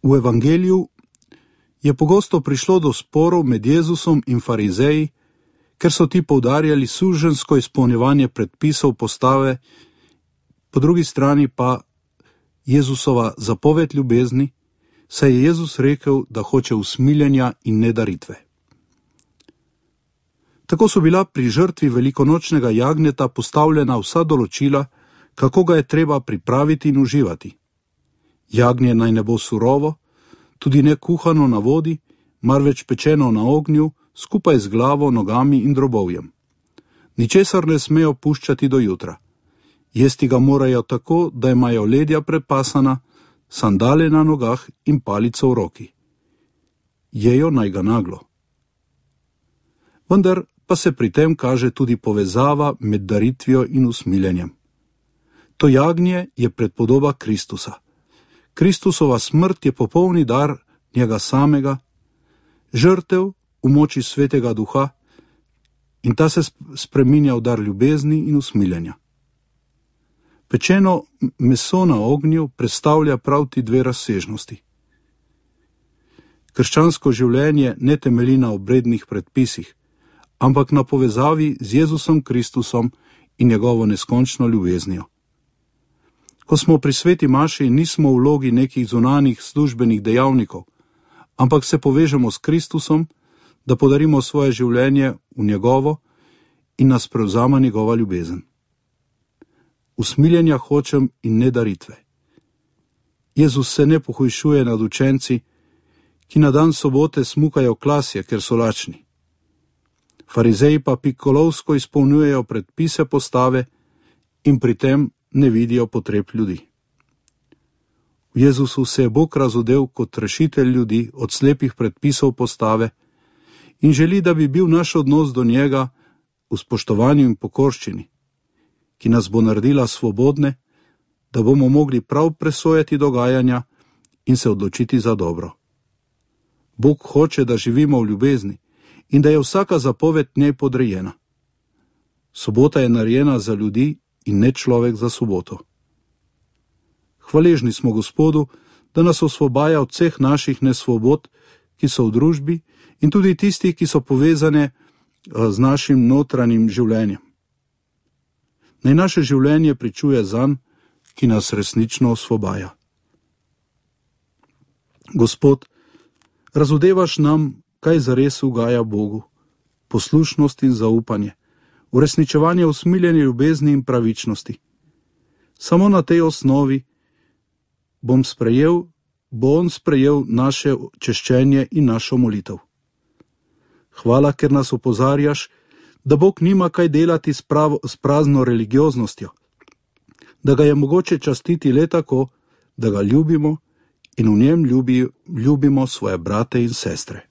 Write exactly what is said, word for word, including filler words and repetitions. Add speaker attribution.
Speaker 1: V evangeliju je pogosto prišlo do sporov med Jezusom in farizeji, ker so ti poudarjali suženjsko izpolnjevanje predpisov postave, po drugi strani pa Jezusova zapoved ljubezni, saj je Jezus rekel, da hoče usmiljenja in ne daritve. Tako so bila pri žrtvi velikonočnega jagnjeta postavljena vsa določila, kako ga je treba pripraviti in uživati. Jagnje naj ne bo surovo, tudi ne kuhano na vodi, marveč pečeno na ognju, skupaj z glavo, nogami in drobovjem. Ničesar ne smejo puščati do jutra. Jesti ga morajo tako, da imajo ledja prepasana, sandale na nogah in palico v roki. Jejo naj ga naglo. Vendar pa se pri tem kaže tudi povezava med daritvijo in usmiljenjem. To jagnje je predpodoba Kristusa. Kristusova smrt je popolni dar njega samega, žrtev v moči Svetega Duha, in ta se spreminja v dar ljubezni in usmiljenja. Pečeno meso na ognju predstavlja prav ti dve razsežnosti. Krščansko življenje ne temelji na obrednih predpisih, ampak na povezavi z Jezusom Kristusom in njegovo neskončno ljubeznijo. Ko smo pri sveti maši, nismo v vlogi nekih zunanjih službenih dejavnikov, ampak se povežemo s Kristusom, da podarimo svoje življenje v njegovo in nas prevzama njegova ljubezen. Usmiljenja hočem in ne daritve. Jezus se ne pohujšuje nad učenci, ki na dan sobote smukajo klasje, ker so lačni. Farizeji pa pikolovsko izpolnjujejo predpise postave in pri tem ne vidijo potreb ljudi. V Jezusu se je Bog razodel kot rešitelj ljudi od slepih predpisov postave in želi, da bi bil naš odnos do njega v spoštovanju in pokorščini, ki nas bo naredila svobodne, da bomo mogli prav presojati dogajanja in se odločiti za dobro. Bog hoče, da živimo v ljubezni in da je vsaka zapoved njej podrejena. Sobota je narejena za ljudi in ne človek za soboto. Hvaležni smo Gospodu, da nas osvobaja od vseh naših nesvobod, ki so v družbi, in tudi tistih, ki so povezane z našim notranjim življenjem. Naj naše življenje pričuje zanj, ki nas resnično osvobaja. Gospod, razodevaš nam, kaj zares ugaja Bogu, poslušnost in zaupanje, uresničevanje usmiljene ljubezni in pravičnosti. Samo na tej osnovi bom sprejel, bo on sprejel naše češčenje in našo molitev. Hvala, ker nas opozarjaš, da Bog nima kaj delati s, pravo, s prazno religioznostjo, da ga je mogoče častiti le tako, da ga ljubimo in v njem ljubi, ljubimo svoje brate in sestre.